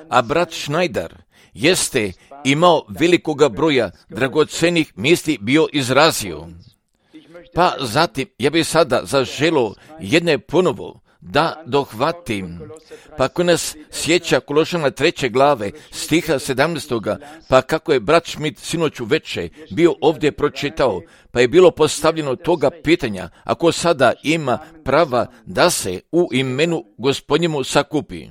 A brat Schneider jeste imao velikoga broja dragocenih misli bio izrazio. Pa zatim, ja bih sada zaželio jedne ponovo da dohvatim, pa ako nas sjeća Kološana 3. glave, stiha 17. pa kako je brat Schmidt sinoć uveče bio ovdje pročitao, pa je bilo postavljeno toga pitanja, ako sada ima prava da se u imenu Gospodnjemu sakupi.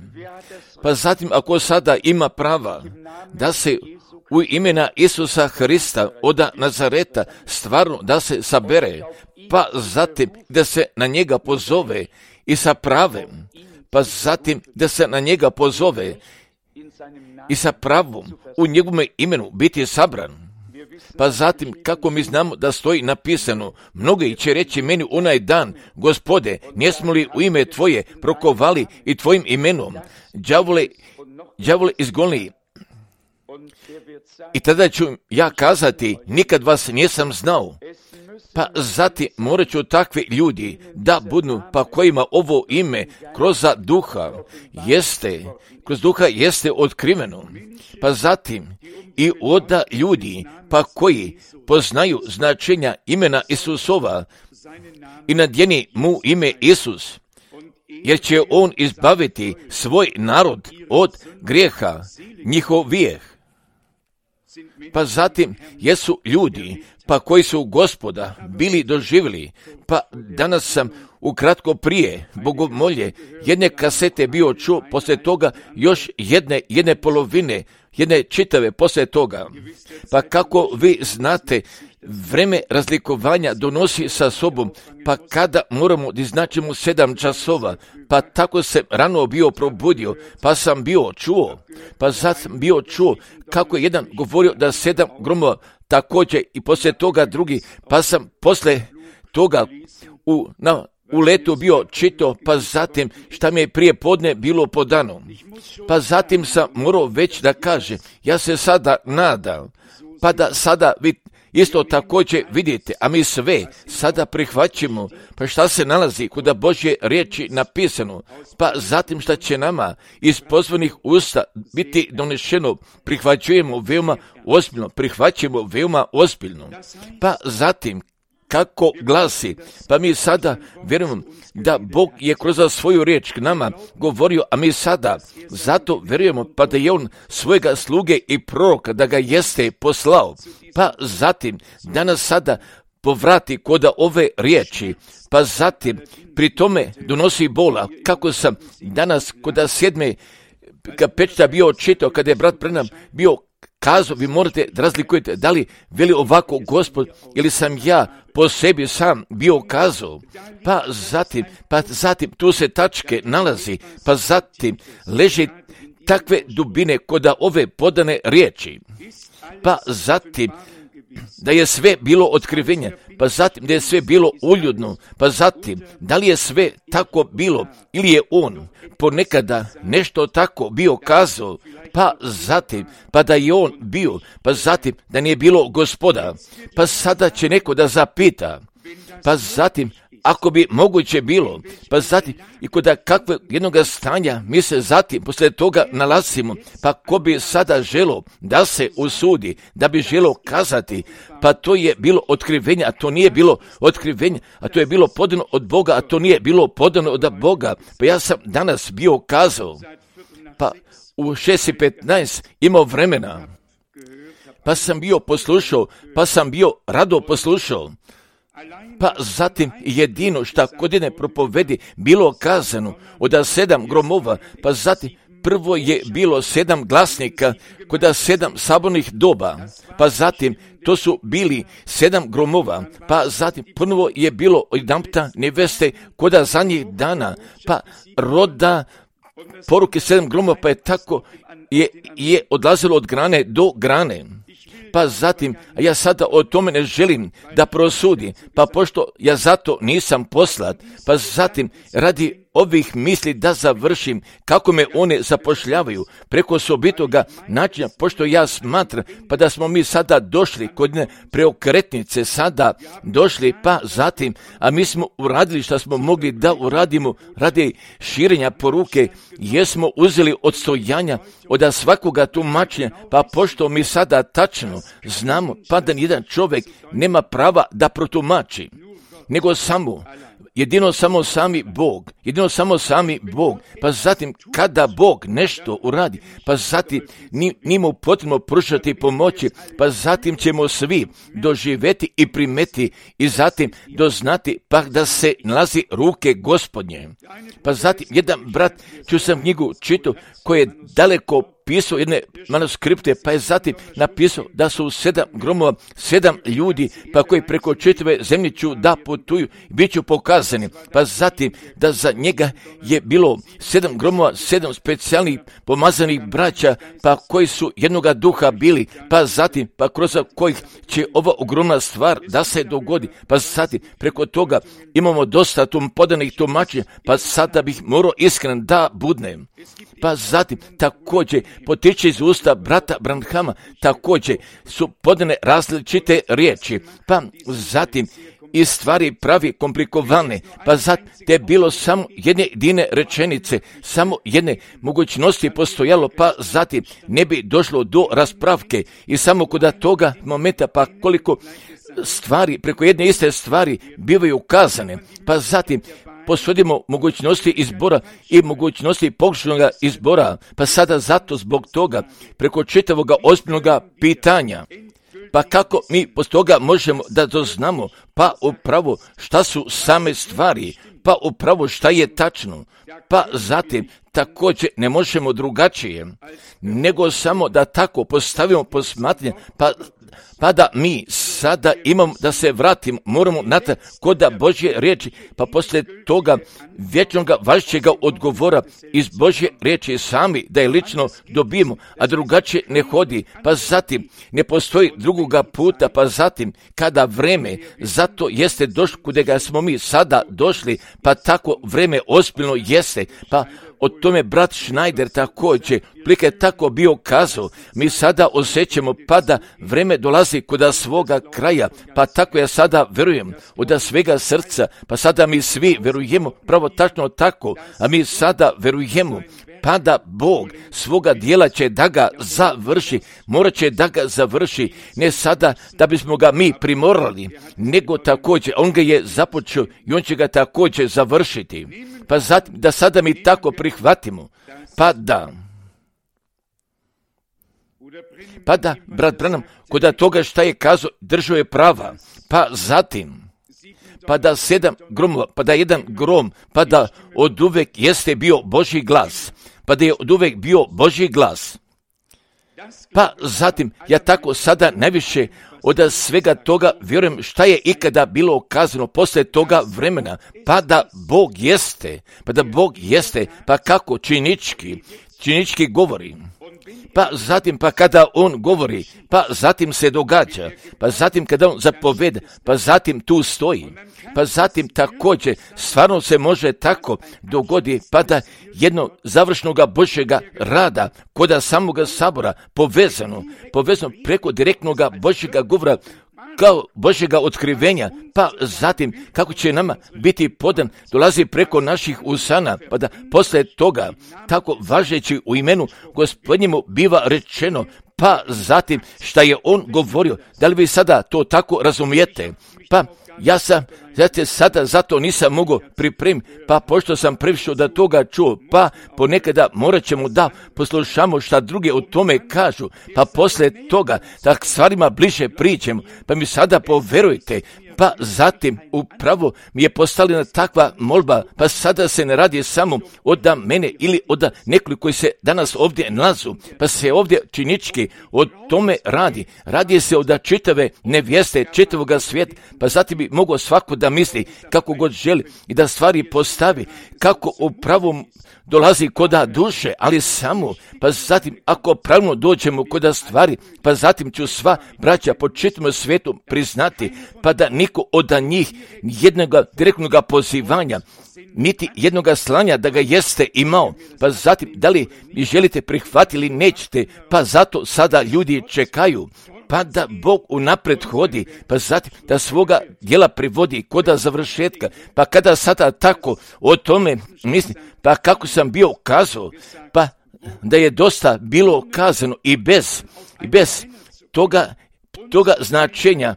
Pa zatim, ako sada ima prava da se u imena Isusa Hrista od Nazareta stvarno da se sabere, pa zatim da se na njega pozove i sa pravem, pa zatim da se na njega pozove i sa pravom u njegovom imenu biti sabran. Pa zatim, kako mi znamo da stoji napisano, mnogi će reći meni onaj dan, Gospode, nismo li u ime Tvoje prokovali i Tvojim imenom đavole izgonili? I tada ću ja kazati, nikad vas nisam znao. Pa zatim morat ću takvi ljudi da budu, pa kojima ovo ime kroz duha jeste otkriveno. Pa zatim i od ljudi, pa koji poznaju značenja imena Isusova i nadjeni mu ime Isus, jer će on izbaviti svoj narod od grijeha njihovih. Pa zatim jesu ljudi, pa koji su Gospoda bili doživjeli, pa danas sam ukratko prije bogomolje jedne kasete bio čuo, poslije toga još jedne polovine, jedne čitave poslije toga. Pa kako vi znate, vreme razlikovanja donosi sa sobom, pa kada moramo da iznačimo 7 časova, pa tako se rano bio probudio, pa sam bio čuo, kako je jedan govorio da 7 gromova također i poslije toga drugi, pa sam poslije toga u letu bio čito, pa zatim šta mi je prije podne bilo podano. Pa zatim sam morao već da kaže, ja se sada nadam, pa da sada vi isto također vidite, a mi sve sada prihvaćamo, pa šta se nalazi kod Božje riječi napisano, pa zatim šta će nama iz pozvanih usta biti donešeno, prihvaćujemo veoma ozbiljno. Pa zatim, kako glasi, pa mi sada vjerujemo da Bog je kroz svoju riječ k nama govorio, a mi sada zato vjerujemo pa da je on svojega sluge i proroka da ga jeste poslao. Pa zatim danas sada povrati kod ove riječi, pa zatim pri tome donosi bola, kako sam danas kod 7. pečta bio čitao, kada je brat Branham bio kazao, vi morate da razlikujete da li veli ovako Gospod ili sam ja po sebi sam bio kazao, pa zatim tu se tačke nalazi, pa zatim leži takve dubine kod ove podane riječi, pa zatim da je sve bilo otkrivenje, pa zatim da je sve bilo uljudno, pa zatim da li je sve tako bilo ili je on ponekada nešto tako bio kazao, pa zatim pa da je on bio, pa zatim da nije bilo Gospoda, pa sada će neko da zapita, pa zatim ako bi moguće bilo, pa zatim i kod kakve jednoga stanja mi se zatim poslije toga nalazimo, pa ko bi sada želo da se usudi, da bi želo kazati, pa to je bilo otkrivenje, a to nije bilo otkrivenje, a to je bilo podano od Boga, a to nije bilo podano od Boga, pa ja sam danas bio kazao, pa u 6:15 imao vremena, pa sam bio poslušao, pa sam bio rado poslušao. Pa zatim jedino šta kod jedne propovedi bilo kazano od 7 gromova, pa zatim prvo je bilo 7 glasnika kod 7 sabornih doba, pa zatim to su bili 7 gromova, pa zatim ponovo je bilo jedanputa neveste kod zadnjih dana, pa roda poruke 7 gromova, pa je tako je odlazilo od grane do grane. Pa zatim, a ja sada o tome ne želim da prosudim, pa pošto ja zato nisam poslat, pa zatim radi ovih misli da završim, kako me one zapošljavaju preko osobitoga načina, pošto ja smatram, pa da smo mi sada došli kod preokretnice, sada došli, pa zatim, a mi smo uradili što smo mogli da uradimo radi širenja poruke, jesmo uzeli odstojanja od svakoga tumačenja, pa pošto mi sada tačno znamo, pa da nijedan čovjek nema prava da protumači, nego jedino samo sami Bog, pa zatim kada Bog nešto uradi, pa zatim njemu potrebno pružati pomoći, pa zatim ćemo svi doživjeti i primeti i zatim doznati pa da se nalazi ruke Gospodnje. Pa zatim jedan brat, čuo sam knjigu čitao, koji je daleko pisao jedne manuskripte, pa je zatim napisao da su 7 gromova, 7 ljudi, pa koji preko čitave zemlje ću da putuju, bit ću pokazani. Pa zatim da za njega je bilo 7 gromova, 7 specijalnih pomazanih braća, pa koji su jednoga duha bili, pa zatim, pa kroz kojih će ova ogromna stvar da se dogodi, pa zatim preko toga imamo dosta podanih tumačenja, pa sada bih morao iskren da budnem. Pa zatim također potiče iz usta brata Branhama, također su podane različite riječi, pa zatim i stvari pravi komplikovane, pa zatim te je bilo samo jedne jedine rečenice, samo jedne mogućnosti postojalo, pa zatim ne bi došlo do raspravke i samo kod toga momenta, pa koliko stvari, preko jedne iste stvari bivaju ukazane, pa zatim posvodimo mogućnosti izbora i mogućnosti pogrešnoga izbora, pa sada zato zbog toga preko čitavoga ozbiljnoga pitanja, pa kako mi posto toga možemo da doznamo, pa upravo šta su same stvari, pa upravo šta je tačno, pa zatim također ne možemo drugačije, nego samo da tako postavimo posmatranje, pa da mi sada imamo da se vratimo, moramo natrag kod Božje riječi, pa poslije toga vječnoga važećega odgovora iz Božje riječi sami da je lično dobijemo, a drugačije ne hodi, pa zatim ne postoji drugoga puta, pa zatim kada vreme zato jeste došlo kudega smo mi sada došli, pa tako vreme ozbiljno jeste, pa o tome brat Schneider također plike tako bio kazao, mi sada osjećamo pa da vreme dolazi kod svoga kraja, pa tako ja sada verujem od svega srca, pa sada mi svi verujemo pravo tačno tako, a mi sada verujemo pa da Bog svoga dijela će da ga završi, morat će da ga završi, ne sada da bismo ga mi primorali, nego također on ga je započeo i on će ga također završiti. Pa zatim da sada mi tako prihvatimo, pa da, brat Branham, kod toga šta je kazao, držao je prava, pa zatim, pa da 7 gromova, pa da jedan grom, pa da od uvek jeste bio Božji glas, pa da je od uvek bio Božji glas. Pa zatim, ja tako sada najviše od svega toga vjerujem šta je ikada bilo kazano posle toga vremena, pa da Bog jeste, pa kako činički govori. Pa zatim, pa kada on govori, pa zatim se događa, pa zatim kada on zapoveda, pa zatim tu stoji, pa zatim također stvarno se može tako dogodi, pa da jedno završnoga Božjega rada kod samoga sabora povezano preko direktnoga Božjega govora, kao Božjega otkrivenja, pa zatim kako će nama biti podan, dolazi preko naših usana, pa da posle toga, tako važeći u imenu Gospodnjemu biva rečeno, pa zatim šta je on govorio, da li vi sada to tako razumijete? Pa ja sam, sada zato nisam mogao pripremiti, pa pošto sam previše da toga čuo, pa ponekada morat ćemo da poslušamo šta druge o tome kažu, pa posle toga da stvarima bliže priđemo, pa mi sada poverujte, pa zatim upravo mi je postavljena takva molba, pa sada se ne radi samo od mene ili od nekoliko koji se danas ovdje nalazu, pa se ovdje činički o tome radi se od čitave nevjeste, čitavoga svijeta, pa zatim bi mogao svako da misli kako god želi i da stvari postavi, kako u pravom dolazi koda duše, ali samo, pa zatim ako pravilno dođemo koda stvari, pa zatim ću sva braća po čitavom svijetu priznati, pa da niko od njih jednog direktnog pozivanja, niti jednog slanja da ga jeste imao, pa zatim da li vi želite prihvatiti ili nećete, pa zato sada ljudi čekaju, pa da Bog unapred hodi, pa zatim da svoga djela privodi koda završetka, pa kada sada tako o tome mislim, pa kako sam bio kazao, pa da je dosta bilo kazano i bez toga značenja,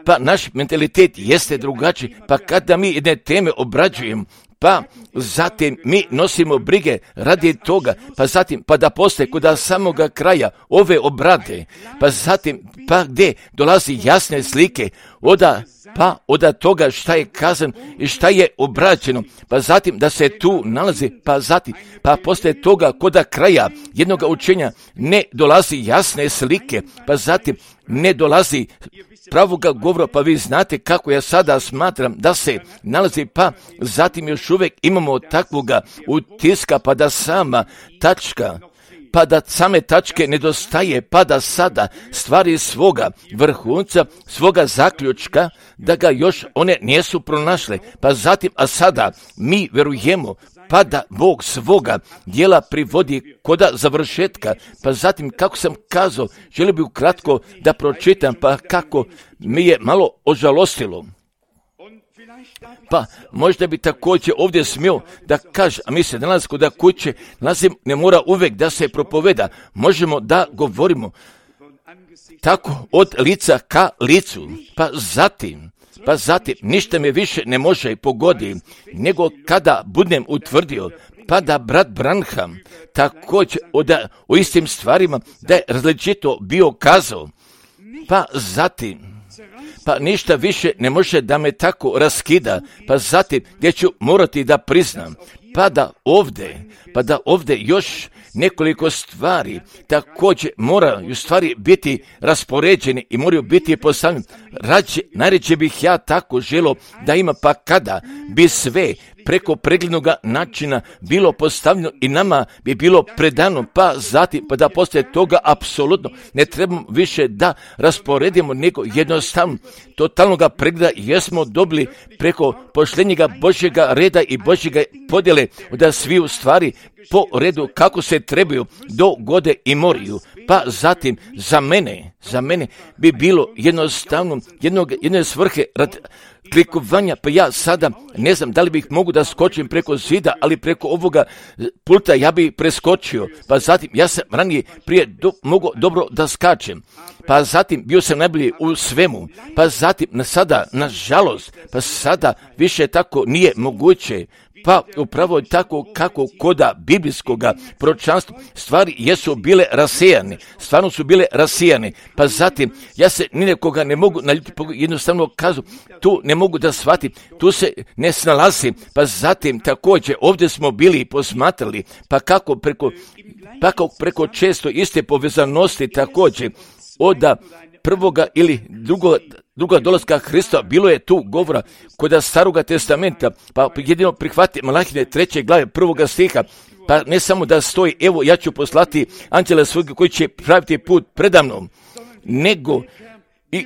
pa naš mentalitet jeste drugačiji, pa kada mi jedne teme obrađujemo, pa zatim mi nosimo brige radi toga, pa zatim pa da postoje kod samoga kraja ove obrade, pa zatim pa gdje dolazi jasne slike od toga šta je kazano i šta je obrađeno, pa zatim da se tu nalazi, pa zatim pa postoje toga kod kraja jednog učenja ne dolazi jasne slike, pa zatim ne dolazi pravoga govora, pa vi znate kako ja sada smatram da se nalazi, pa zatim još uvijek imamo takvoga utiska, pa da sama tačka, pa da same tačke nedostaje, pa da sada stvari svoga vrhunca, svoga zaključka, da ga još one nisu pronašle, pa zatim, a sada mi verujemo, pa da Bog svoga djela privodi koda završetka, pa zatim, kako sam kazao, želio bih ukratko da pročitam, pa kako mi je malo ožalostilo. Pa možda bi također ovdje smio da kaže, a mi se danas kod kuće nalazim, ne mora uvijek da se propoveda, možemo da govorimo tako od lica ka licu, pa zatim ništa me više ne može pogoditi, nego kada budem utvrdio, pa da brat Branham također o istim stvarima da je različito bio kazao, pa zatim pa ništa više ne može da me tako raskida, pa zatim gdje ću morati da priznam, pa da ovdje još nekoliko stvari također moraju stvari biti raspoređene i moraju biti postavljene. Najređe bih ja tako želio da ima, pa kada bi sve preko preglednog načina bilo postavljeno i nama bi bilo predano, pa zatim pa da poslije toga apsolutno ne trebamo više da rasporedimo, nego jednostavno totalnog pregleda jesmo dobili preko poštenjega Božjega reda i Božjega podjele da svi u stvari po redu kako se trebaju dogode i moraju. Pa zatim za mene bi bilo jednostavno jedne svrhe rad klikovanja, pa ja sada ne znam da li bih mogu da skočim preko zida, ali preko ovoga pulta ja bih preskočio, pa zatim ja sam ranije prije mogu dobro da skačem, pa zatim bio sam najbolji u svemu, pa zatim sada, nažalost, pa sada više tako nije moguće, pa upravo tako kako koda biblijskoga proročanstva stvari jesu bile rasijane, stvarno su bile rasijane, pa zatim ja se ni nekoga ne mogu naljutiti, jednostavno kazu, tu ne mogu da shvatim, tu se ne snalazim, pa zatim također ovdje smo bili i posmatrali, pa kako preko često iste povezanosti također od prvoga ili druga dolaska Hrista, bilo je tu govora kod Staroga testamenta, pa jedino prihvati Malahije 3. glave 1. stiha, pa ne samo da stoji, evo ja ću poslati anđela svojeg koji će praviti put predamnom, nego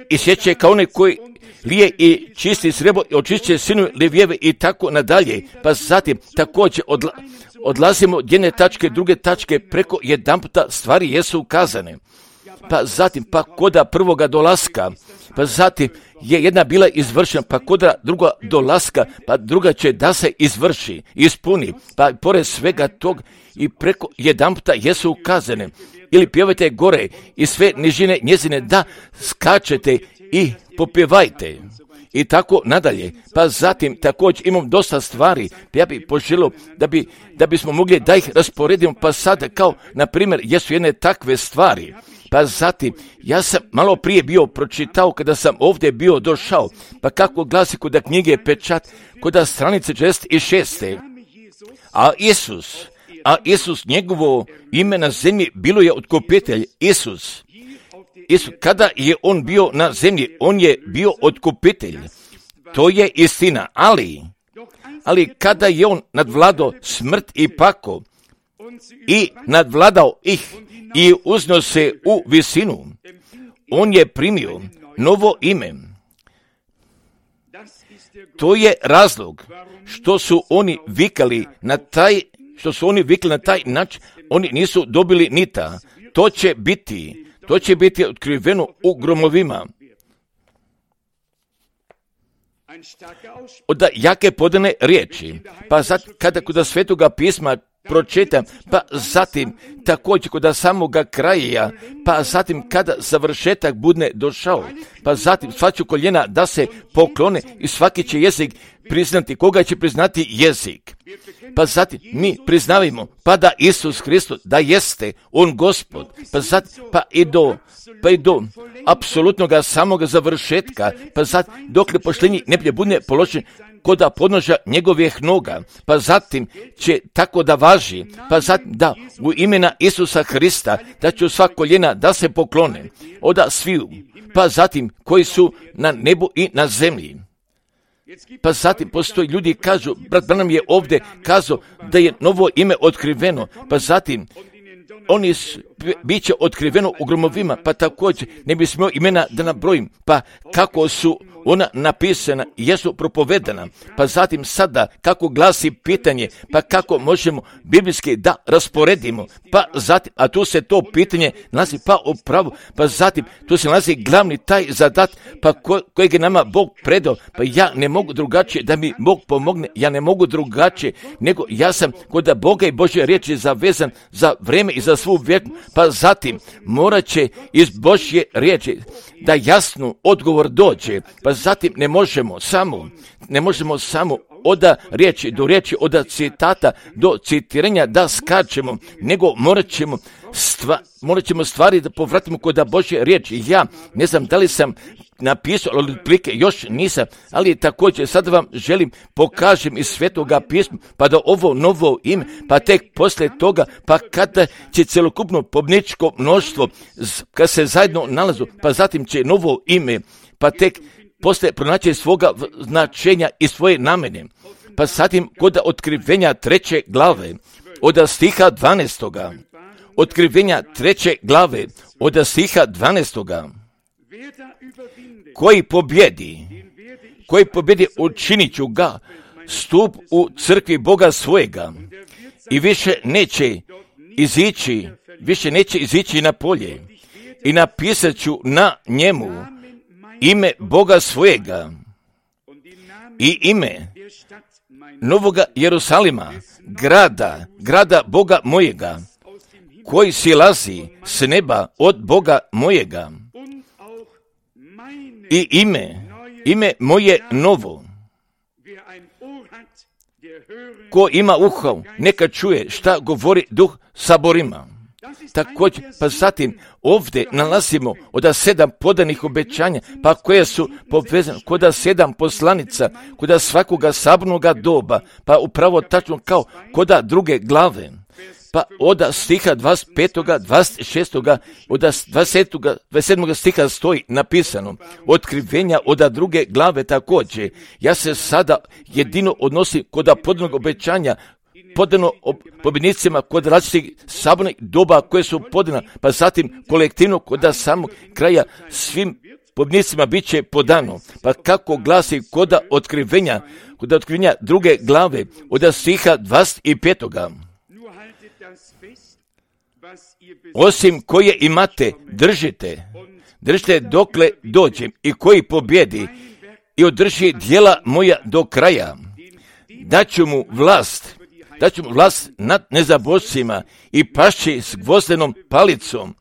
i sjeće kao one koji lije i čisti srebro i očišće sinu Levijeve i tako nadalje, pa zatim također odlazimo od jedne tačke, druge tačke, preko jedanputa stvari jesu ukazane. Pa zatim, pa koda prvoga dolaska, pa zatim je jedna bila izvršena, pa koda druga dolaska, pa druga će da se izvrši, ispuni, pa pored svega tog i preko jedanputa jesu ukazane. Ili pjevajte gore i sve nižine njezine da skačete i popjevajte. I tako nadalje. Pa zatim također imam dosta stvari, pa ja bih poželio da bismo mogli da ih rasporedimo, pa sada kao, na primjer, jesu jedne takve stvari. Pa zatim, ja sam malo prije bio pročitao kada sam ovdje bio došao, pa kako glasi kod knjige Pečat, kod stranice 46. A Isus, njegovo ime na zemlji bilo je otkupitelj. Isus, kada je on bio na zemlji, on je bio otkupitelj. to je istina, ali kada je on nadvladao smrt i pakao i nadvladao ih i uznio se u visinu, on je primio novo ime. To je razlog što su oni vikali na taj način, oni nisu dobili nita. To će biti otkriveno u gromovima. Od jake podane riječi, pa kada kod Svetoga pisma pročitam, pa zatim također kod samoga kraja, pa zatim kada završetak bude došao, pa zatim sva će koljena da se poklone i svaki će jezik priznati. Koga će priznati jezik? Pa zatim mi priznavimo pa da Isus Hristos da jeste on Gospod, pa zatim pa i do apsolutnoga samoga završetka, pa zatim dokle poštenji ne bude položen koda podnožja njegovih noga, pa zatim će tako da važi, pa zatim da u imena Isusa Hrista da će sva koljena da se poklone, oda sviju, pa zatim koji su na nebu i na zemlji. Pa zatim postoji ljudi kažu, brat Branham je ovdje kazao da je novo ime otkriveno, pa zatim oni bit će otkriveno u gromovima, pa također ne bi smio imena da nabrojim, pa kako su ona napisana i jesu propovedana, pa zatim sada kako glasi pitanje, pa kako možemo biblijski da rasporedimo, pa zatim, a tu se to pitanje nalazi pa upravo, pa zatim tu se nalazi glavni taj zadat, pa kojeg je nama Bog predao, pa ja ne mogu drugačije da mi Bog pomogne, ja ne mogu drugačije, nego ja sam kod Boga i Božje riječi zavezan za vreme i za svu vjeku, pa zatim morat će iz Božje riječi da jasno odgovor dođe, pa zatim ne možemo samo od riječi do riječi, od citata do citiranja da skačemo, nego morat ćemo stvari da povratimo kod Božje riječi. Ja ne znam da li sam napisao, ali otprilike još nisam, ali također sada vam želim pokažem iz Svetoga pisma, pa da ovo novo ime, pa tek poslije toga, pa kada će celokupno pobničko mnoštvo, kad se zajedno nalazu, pa zatim će novo ime, pa tek poslije pronaći svoga značenja i svoje namene. Pa zatim kod otkrivenja 3. glave, od stiha 12. Otkrivenja 3. glave, od stiha 12. Koji pobjedi učinit ću ga stup u crkvi Boga svojega i više neće izići na polje i napisat ću na njemu ime Boga svojega i ime Novoga Jerusalima, grada Boga mojega, koji silazi s neba od Boga mojega, i ime moje novo. Ko ima uho, neka čuje šta govori Duh saborima. Također, pa zatim ovdje nalazimo od 7 podanih obećanja, pa koje su povezane kod 7 poslanica, kod svakoga sabornoga doba, pa upravo tačno kao kod druge glave. Pa od stiha 25. 26. od 27. stiha stoji napisano otkrivenja od druge glave također. Ja se sada jedino odnosi kod podanog obećanja, podano pobjednicima kod različitih sabornih doba koje su podana, pa zatim kolektivno kod samog kraja svim pobjednicima bit će podano. Pa kako glasi kod otkrivenja druge glave od stiha 25. Osim koje imate, držite dokle dođem, i koji pobjedi i održi djela moja do kraja, daću mu vlast nad nezabožcima i pašći s gvozdenom palicom,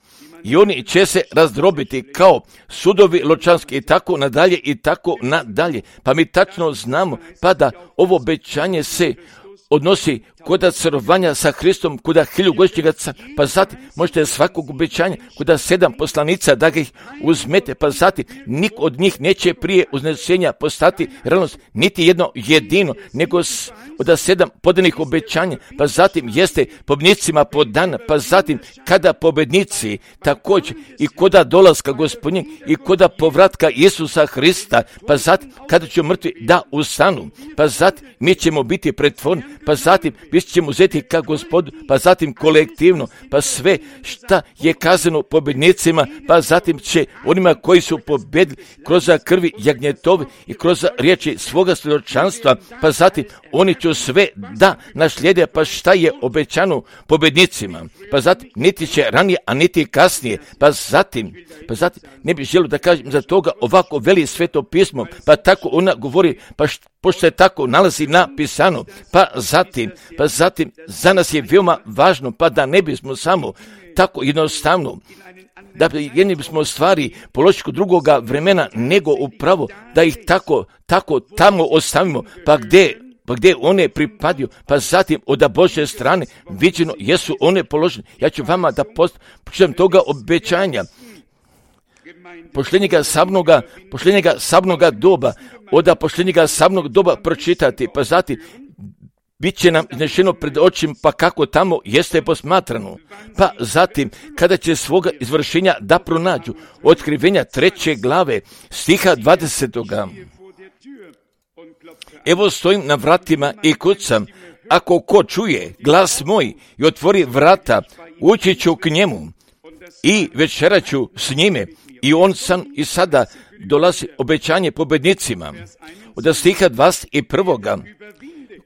i oni će se razdrobiti kao sudovi ločanski, i tako nadalje i tako nadalje. Pa mi tačno znamo, pa da ovo obećanje se odnosi kod carovanja sa Hristom, kod 1000-godišnjega pa zatim možete svakog obećanja, kod 7 poslanica da ga ih uzmete, pa zatim nik od njih neće prije uznesenja postati realnost, niti jedno jedino, nego od 7 podanih obećanja, pa zatim jeste pobjednicima podana, pa zatim kada pobjednici također i koda dolaska Gospodnjeg i koda povratka Isusa Hrista, pa zatim kada će mrtvi da ustanu, pa zatim mi ćemo biti pretvorni, pa zatim mi ćemo uzeti ka Gospodu, pa zatim kolektivno, pa sve šta je kazano pobjednicima, pa zatim će onima koji su pobjedili kroz krvi jagnjetovi i kroz riječi svoga svjedočanstva, pa zatim oni će sve da naslijede, pa šta je obećano pobjednicima, pa zatim niti će ranije, a niti kasnije, pa zatim ne bih želio da kažem za toga ovako veli Sveto pismo, pa tako ona govori, pošto se tako nalazi napisano, pa zatim za nas je veoma važno, pa da ne bismo samo tako jednostavno, da jedni bismo stvari položiti drugoga vremena, nego upravo da ih tako tamo ostavimo, pa gdje one pripadaju, pa zatim od Božje strane viđeno jesu one položene. Ja ću vama da počnem toga obećanja, pošljenjega sabnoga doba, od pošljenjega sabnog doba pročitati, pa zatim bit će nam iznešeno pred očima, pa kako tamo jeste posmatrano. Pa zatim, kada će svoga izvršenja da pronađu, otkrivenja 3. glave, stiha 20. Evo stojim na vratima i kucam, ako ko čuje glas moj i otvori vrata, ući ću k njemu i večerat ću s njime. I on sam i sada dolazi obećanje pobjednicima. Od stiha 21.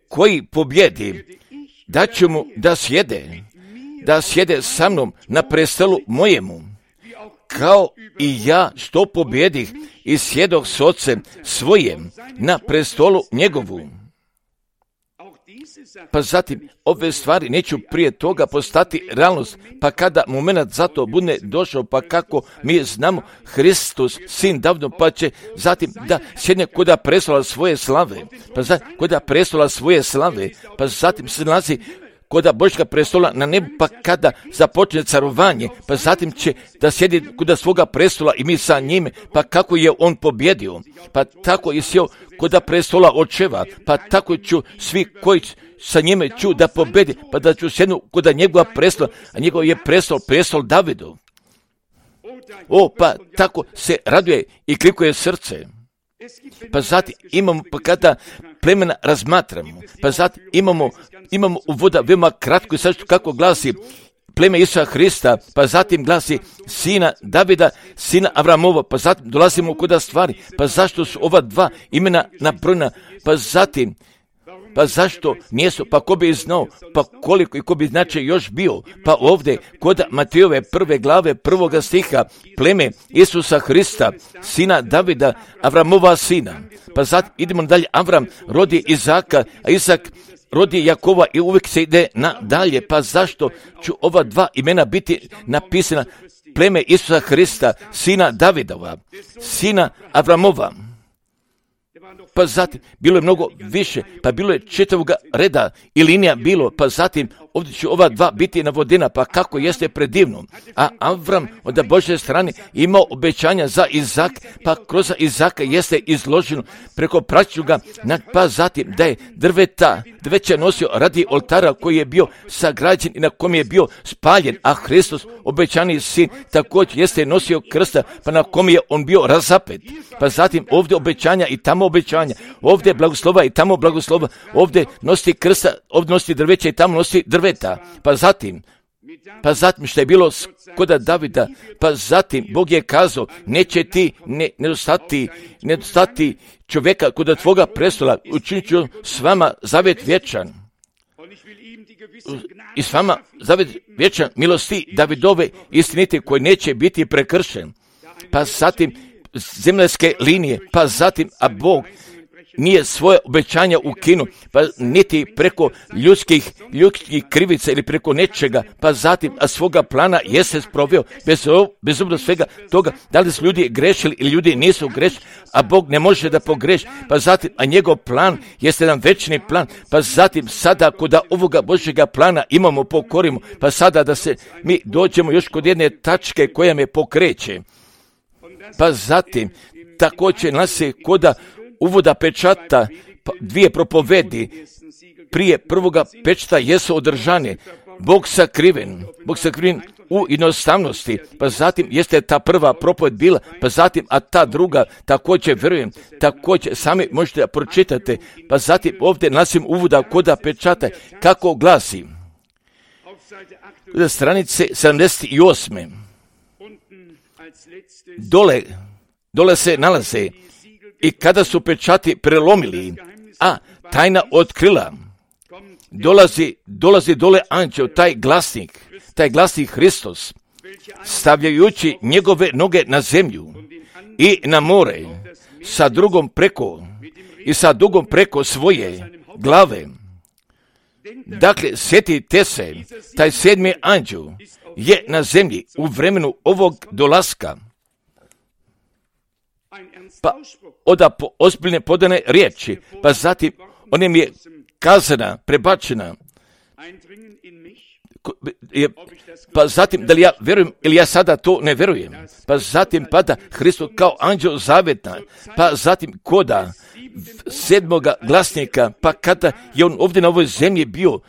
koji pobjedi, da ću mu da sjede sa mnom na prestolu mojemu, kao i ja što pobjedih i sjedoh s Otcem svojim na prestolu njegovu. Pa zatim, ove stvari neću prije toga postati realnost, pa kada moment za to bude došao, pa kako mi znamo, Hristos, sin Davidov, pa će zatim da sjedne kod prestola svoje slave, pa zatim se nalazi kod Božjega prestola na nebu, pa kada započne carovanje, pa zatim će da sjedi kod svoga prestola i mi sa njime, pa kako je on pobjedio, pa tako je sjeo kod prestola očeva, pa tako ću svi koji sa njime ću da pobedi, pa da ću sjednu kod njegova prestola, a njegov je prestol Davidov. Pa tako se raduje i klikuje srce. Pa zatim imamo, pa kada plemena razmatramo, pa zatim imamo uvoda veoma kratko i sad kako glasi pleme Isusa Hrista, pa zatim glasi sina Davida, sina Avramova, pa zatim dolazimo kod stvari, pa zašto su ova dva imena nabrojena, pa zašto nijesu, pa ko bi znao, pa koliko i ko bi znači još bio, pa ovdje kod Matejove 1. glave 1. stiha, pleme Isusa Hrista, sina Davida, Avramova sina, pa zatim idemo dalje, Avram rodi Izaka, a Izak rodi Jakova i uvijek se ide nadalje, pa zašto ću ova dva imena biti napisana, pleme Isusa Hrista, sina Davidova, sina Avramova. Pa zatim, bilo je mnogo više, pa bilo je čitavoga reda i linija bilo, pa zatim ovdje će ova dva biti navodena, pa kako jeste predivno. A Avram od Božje strane imao obećanja za Izak, pa kroz Izaka jeste izloženo preko praćuga, pa zatim da je drveće nosio radi oltara koji je bio sagrađen i na kom je bio spaljen, a Hristos, obećani sin, također jeste nosio krsta, pa na kom je on bio razapet. Pa zatim ovdje obećanja i tamo obećanja, ovdje blagoslova i tamo blagoslova, ovdje nosi krsta, ovdje nosi drveće i tamo nosi drveta. Pa zatim što je bilo kod Davida, pa zatim Bog je kazao, neće ti nedostati čovjeka kod tvoga prestola, učinit ću s vama zavjet vječan. I s vama zavjet vječan milosti Davidove istinite koji neće biti prekršen. Pa zatim zemaljske linije, pa zatim, a Bog nije svoje obećanja ukinuo, pa niti preko ljudskih krivica ili preko nečega, pa zatim, a svoga plana jeste sproveo, bez obzira svega toga, da li su ljudi grešili ili ljudi nisu grešili, a Bog ne može da pogreši, pa zatim, a njegov plan jeste jedan večni plan, pa zatim, sada kod ovoga Božjega plana imamo, pokorimo, pa sada da se mi dođemo još kod jedne tačke koja me pokreće, pa zatim, također nas se koda uvoda pečata, dvije propovedi prije prvoga pečata jesu održane, Bog sakriven u jednostavnosti, pa zatim jeste ta prva propoved bila, pa zatim, a ta druga također vjerujem, također sami možete da pročitate, pa zatim ovdje nasim uvoda koda pečata, kako glasi, stranice 78. Dole se nalaze, i kada su pečati prelomili, a tajna otkrila, dolazi dole anđeo, taj glasnik Hristos, stavljajući njegove noge na zemlju i na more, sa dugom preko svoje glave. Dakle, sjetite se, taj 7. anđeo je na zemlji u vremenu ovog dolaska, pa oda ozbiljne podane riječi, pa zatim onem je kazana, prebačena, pa zatim da li ja vjerujem ili ja sada to ne vjerujem, pa zatim pada Hristos kao anđeo zavjetna, pa zatim koda 7. glasnika, pa kada je on ovdje na ovoj zemlji bio,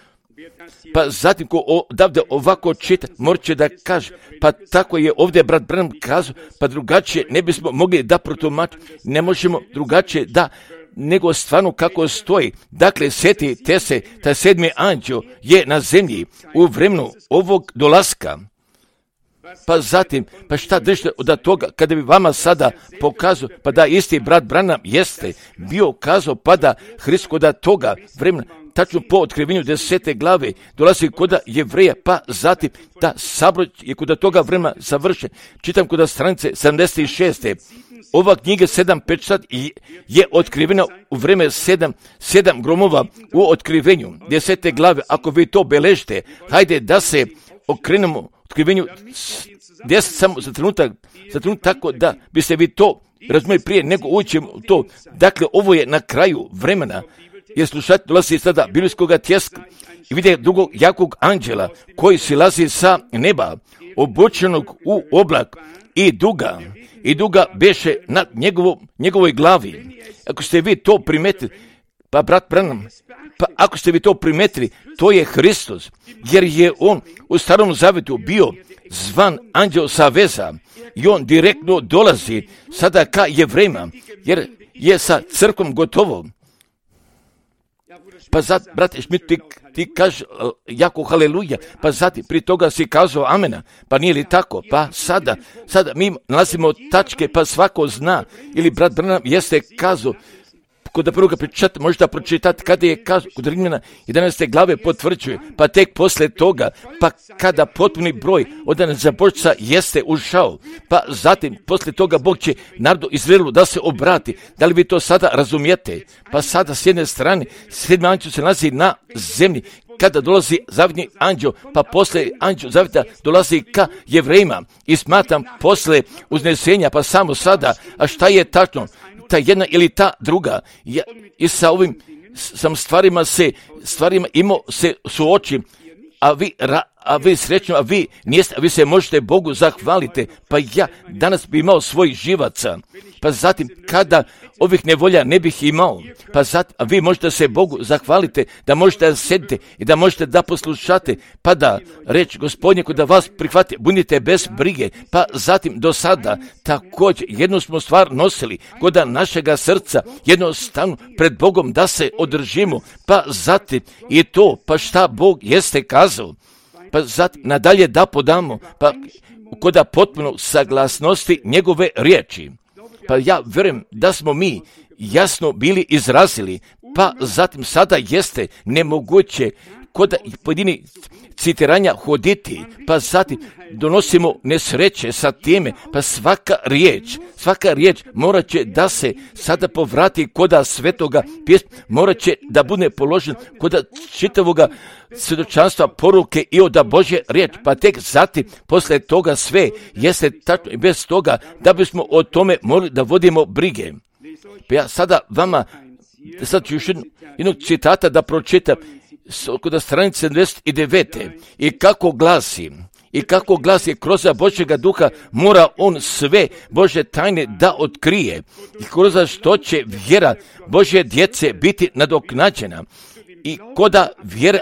pa zatim ko odavde ovako čita, morat će da kaže, pa tako je ovdje brat Branham kazao, pa drugačije ne bismo mogli da protumačiti, ne možemo drugačije da, nego stvarno kako stoji. Dakle, sjetite se, taj 7. anđeo je na zemlji u vremenu ovog dolaska. Pa zatim, pa šta držite od toga, kada bi vama sada pokazao, pa da isti brat Branham jeste bio kazao, pa da Hrist kod toga vremena, tačno po otkrivenju 10. glave, dolazi kod Jevreja, pa zatim da sabor je kod toga vremena završen. Čitam kod stranice 76. Ova knjiga 7 pečat je otkrivena u vreme 7 gromova u otkrivenju 10. glave. Ako vi to beležite, hajde da se okrenemo otkrivenju 10 samo za trenutak tako da biste vi to razumeli prije nego uđemo u to. Dakle, ovo je na kraju vremena, jer slušati dolazi sada biblijskoga tjeska i vide drugog jakog anđela koji silazi sa neba, obučenog u oblak i duga beše nad njegovoj glavi. Ako ste vi to primetili, pa brat Branham, pa ako ste vi to primetili, to je Hristos, jer je on u Starom Zavjetu bio zvan anđeo saveza i on direktno dolazi sada ka Jevrejima, jer je sa crkvom gotovo. Pa zato, brate Šmit, ti kaže jako haleluja, pa zatim prije toga si kazao amena, pa nije li tako? Pa sada mi nalazimo tačke, pa svako zna, ili brat Branham jeste kazao, kod prvoga pričati, možete pročitati kada je kazao, kod Rimljana 11. glave potvrđuje, pa tek posle toga, pa kada potpuni broj od zabožca jeste ušao, pa zatim posle toga Bog će narodu Izraelu da se obrati. Da li vi to sada razumijete? Pa sada s jedne strane 7. anđeo se nalazi na zemlji, kada dolazi zavjetni anđeo, pa posle anđeo zavjeta dolazi ka Jevrejima i smatram posle uznesenja, pa samo sada, a šta je tačno? Ta jedna ili ta druga, i sa ovim sam stvarima imao se suočim, a vi srećno, a vi se možete Bogu zahvalite, pa ja danas bi imao svojih živaca, pa zatim kada ovih nevolja ne bih imao, pa zatim, a vi možete se Bogu zahvalite, da možete da sedite i da možete da poslušate, pa da reći Gospodnje kod da vas prihvati, budite bez brige, pa zatim do sada također jednu smo stvar nosili kod našega srca, jednostavno pred Bogom da se održimo, pa zatim i to, pa šta Bog jeste kazao, pa zatim nadalje da podamo, pa kod potpuno saglasnosti njegove riječi. Pa ja vjerujem da smo mi jasno bili izrazili, pa zatim sada jeste nemoguće kod pojedini citiranja hoditi, pa zatim donosimo nesreće sa time, pa svaka riječ morat će da se sada povrati koda svetoga pjesma, morat će da bude položen koda čitavoga svjedočanstva poruke i oda Božje riječ, pa tek zatim posle toga sve jeste tačno i bez toga da bismo o tome mogli da vodimo brige. Pa ja sada vama, sad ću još jednog citata da pročitam kod stranice 79. I kako glasi kroz Božjega duha mora on sve Božje tajne da otkrije i kroz što će vjera Božje djece biti nadoknađena i koda vjere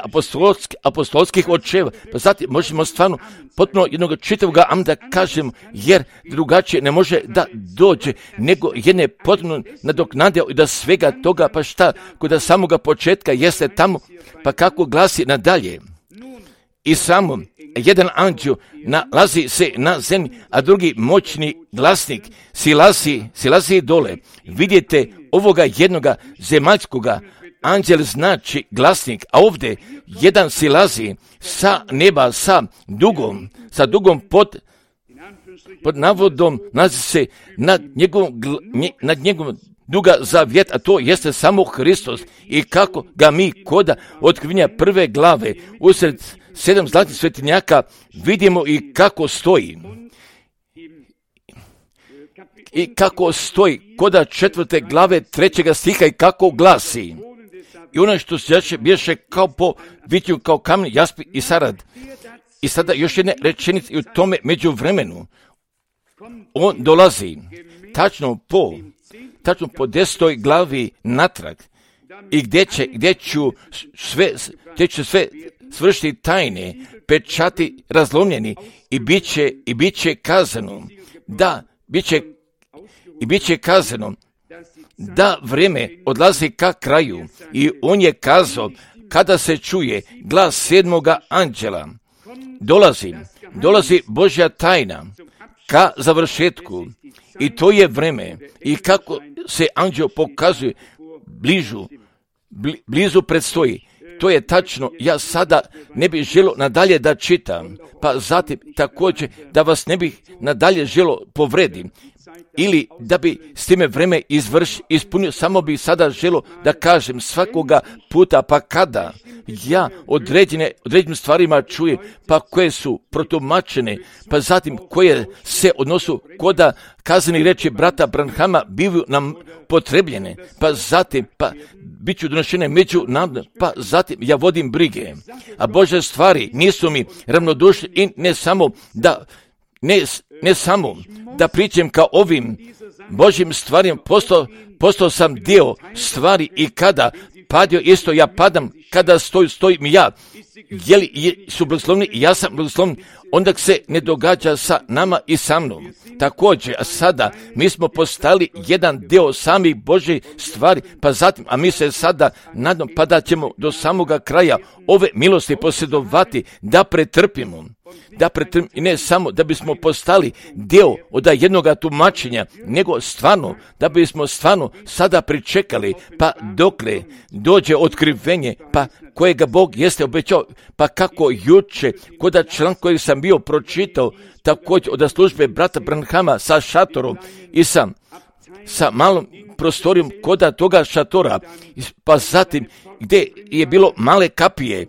apostolskih očeva. Pa zatim možemo stvarno potpuno jednog čitavog da kažem, jer drugačije ne može da dođe nego jedne potpuno nadoknade i da svega toga, pa šta, kod samoga početka jeste tamo, pa kako glasi nadalje. I samo jedan anđeo nalazi se na zemlji, a drugi moćni glasnik silazi dole. Vidite ovoga jednoga zemaljskoga, anđel znači glasnik, a ovdje jedan silazi sa neba sa dugom pod navodom, nalazi se nad njegovom duga zavjet, a to jeste samo Hristos. I kako ga mi koda otkrivenja prve glave usred 7 zlatnih svetinjaka vidimo i kako stoji. I kako stoji koda 4. glave 3. stiha i kako glasi. I ono što se bješe kao po vitju, kao kamen, jaspi i sarad. I sada još jedne rečenice i u tome međuvremenu. On dolazi tačno po 10. glavi natrag i gdje ću sve svršiti tajne, pečati razlomljeni i bit će kazano da vrijeme odlazi ka kraju. I on je kazao, kada se čuje glas 7. anđela, dolazi Božja tajna ka završetku. I to je vreme. I kako se anđeo pokazuje blizu predstoji. To je tačno. Ja sada ne bih želio nadalje da čitam, pa zatim također da vas ne bih nadalje želio povredim ili da bi s time vreme ispunio, samo bih sada želio da kažem svakoga puta, pa kada ja određenim stvarima čujem, pa koje su protumačene, pa zatim koje se odnosu koda kazneni riječi brata Branhama bivaju nam potrebljene, pa zatim bit ću donošene među nama, pa zatim ja vodim brige, a Božje stvari nisu mi ravnodušne i ne samo da pričam kao ovim Božjim stvarima, postao sam dio stvari i kada padio isto ja padam, kada stojim ja, je li su blagoslovni i ja sam blagoslovni, onda se ne događa sa nama i sa mnom. Također, a sada mi smo postali jedan dio samih Božjih stvari, pa zatim, a mi se sada nadam pa da ćemo do samoga kraja ove milosti posjedovati, da pretrpimo i ne samo da bismo postali dio od jednoga tumačenja, nego stvarno, da bismo stvarno sada pričekali, pa dokle dođe otkrivenje, pa kojega Bog jeste obećao, pa kako juče, koda član koji sam bio pročitao, također od službe brata Branhama sa šatorom i sa malom prostorijom koda toga šatora, pa zatim gdje je bilo male kapije,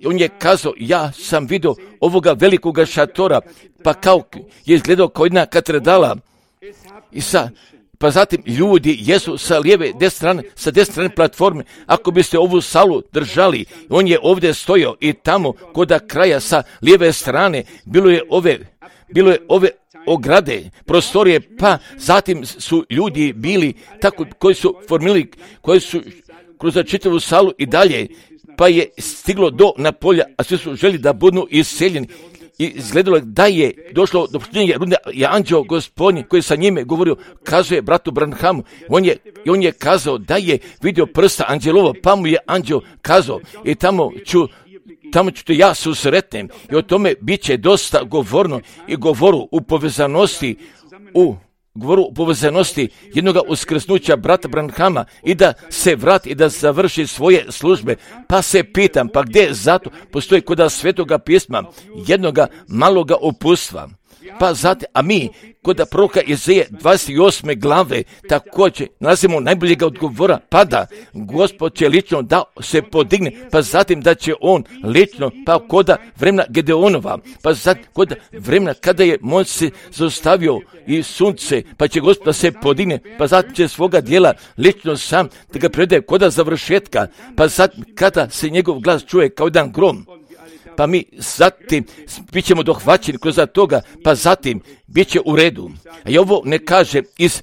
on je kazao, ja sam vidio ovoga velikoga šatora, pa kao je izgledao kao jedna katedrala, pa zatim ljudi jesu sa lijeve sa desne strane platforme, ako biste ovu salu držali, on je ovdje stojao i tamo koda kraja sa lijeve strane bilo je ove ograde, prostorije, pa zatim su ljudi bili tako koji su formili, koji su kroz čitavu salu i dalje, pa je stiglo do napolja, a svi su želi da budu iseljeni. I izgledalo da je došlo do počinjenja runde, je anđeo Gospodnji koji sa njime govorio, kazuje bratu Branhamu, on je kazao da je vidio prsta anđelova, pa mu je anđeo kazao i tamo ću te ja susretnem i o tome bit će dosta govorno i govoru u povezanosti govoru u povezanosti jednoga uskrsnuća brata Branhama i da se vrati i da završi svoje službe. Pa se pitam, pa gdje zato postoji kod Svetoga pisma jednoga maloga uputstva? Pa zatim, a mi kod proroka Izaije 28. glave također nalazimo najboljega odgovora, pa da Gospod će lično da se podigne, pa zatim da će on lično, pa kod vremena Gedeonova, pa zatim kod vremena kada je moć se zaustavio i sunce, pa će Gospod da se podigne, pa zatim će svoga dijela lično sam da ga predaje kod završetka, pa zatim kada se njegov glas čuje kao jedan grom, pa mi zatim bit ćemo dohvaćeni kroz toga, pa zatim bit će u redu. A i ovo ne kaže iz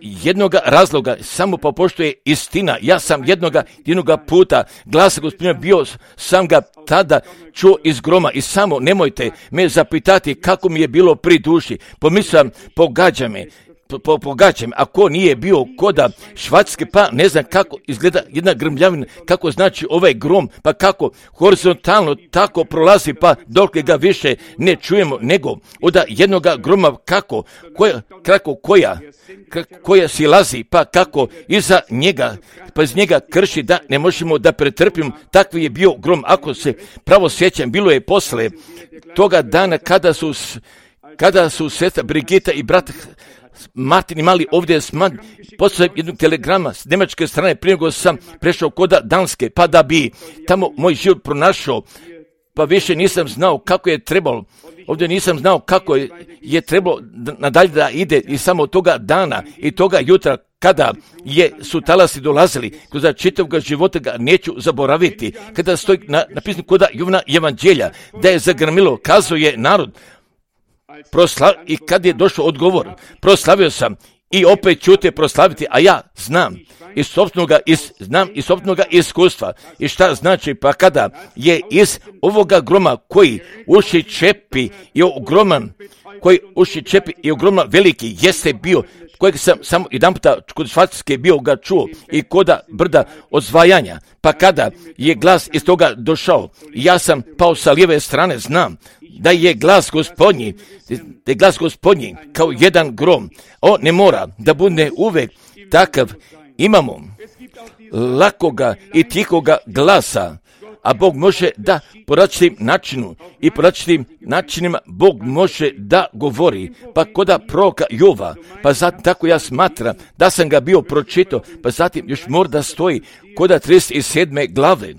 jednoga razloga, samo pa pošto je istina. Ja sam jednoga puta glasa Gospodina bio, sam ga tada čuo iz groma i samo nemojte me zapitati kako mi je bilo pri duši. Pomislim, pogađa me, ako nije bio koda Švajcarske, pa ne znam kako izgleda jedna grmljavina, kako znači ovaj grom, pa kako horizontalno tako prolazi, pa dok ga više ne čujemo, nego od jednoga groma koja silazi, pa kako iza njega, pa iz njega krši da ne možemo da pretrpimo. Takvi je bio grom. Ako se pravo sjećam, bilo je posle toga dana kada su sestra Brigita i brat Martin imali ovdje poslije jednog telegrama s njemačke strane, prije nego sam prešao kod Danske, pa da bi tamo moj život pronašao, pa više nisam znao kako je trebalo, ovdje nisam znao kako je trebalo nadalje da ide i samo toga dana i toga jutra kada su talasi dolazili, kroz čitavog života ga neću zaboraviti, kada stoji napisano kod Jovana evanđelja da je zagrmilo, kazao je narod, i kad je došao odgovor, proslavio sam i opet ću te proslaviti, a ja znam iz sopstvenog iskustva. I šta znači, pa kada je iz ovoga groma koji uši čepi i ogroman veliki jeste bio, kojeg sam samo jedan puta kod Švajcarske bio ga čuo i koda brda odzvajanja, pa kada je glas iz toga došao, ja sam pao sa lijeve strane, znam da je glas Gospodnji kao jedan grom. On ne mora da bude uvek takav. Imamo lakoga i tihoga glasa, a Bog može da po različitim načinima Bog može da govori. Pa koda proroka Jova, pa zatim tako ja smatram da sam ga bio pročitao, pa zatim još mora da stoji koda 37. glave.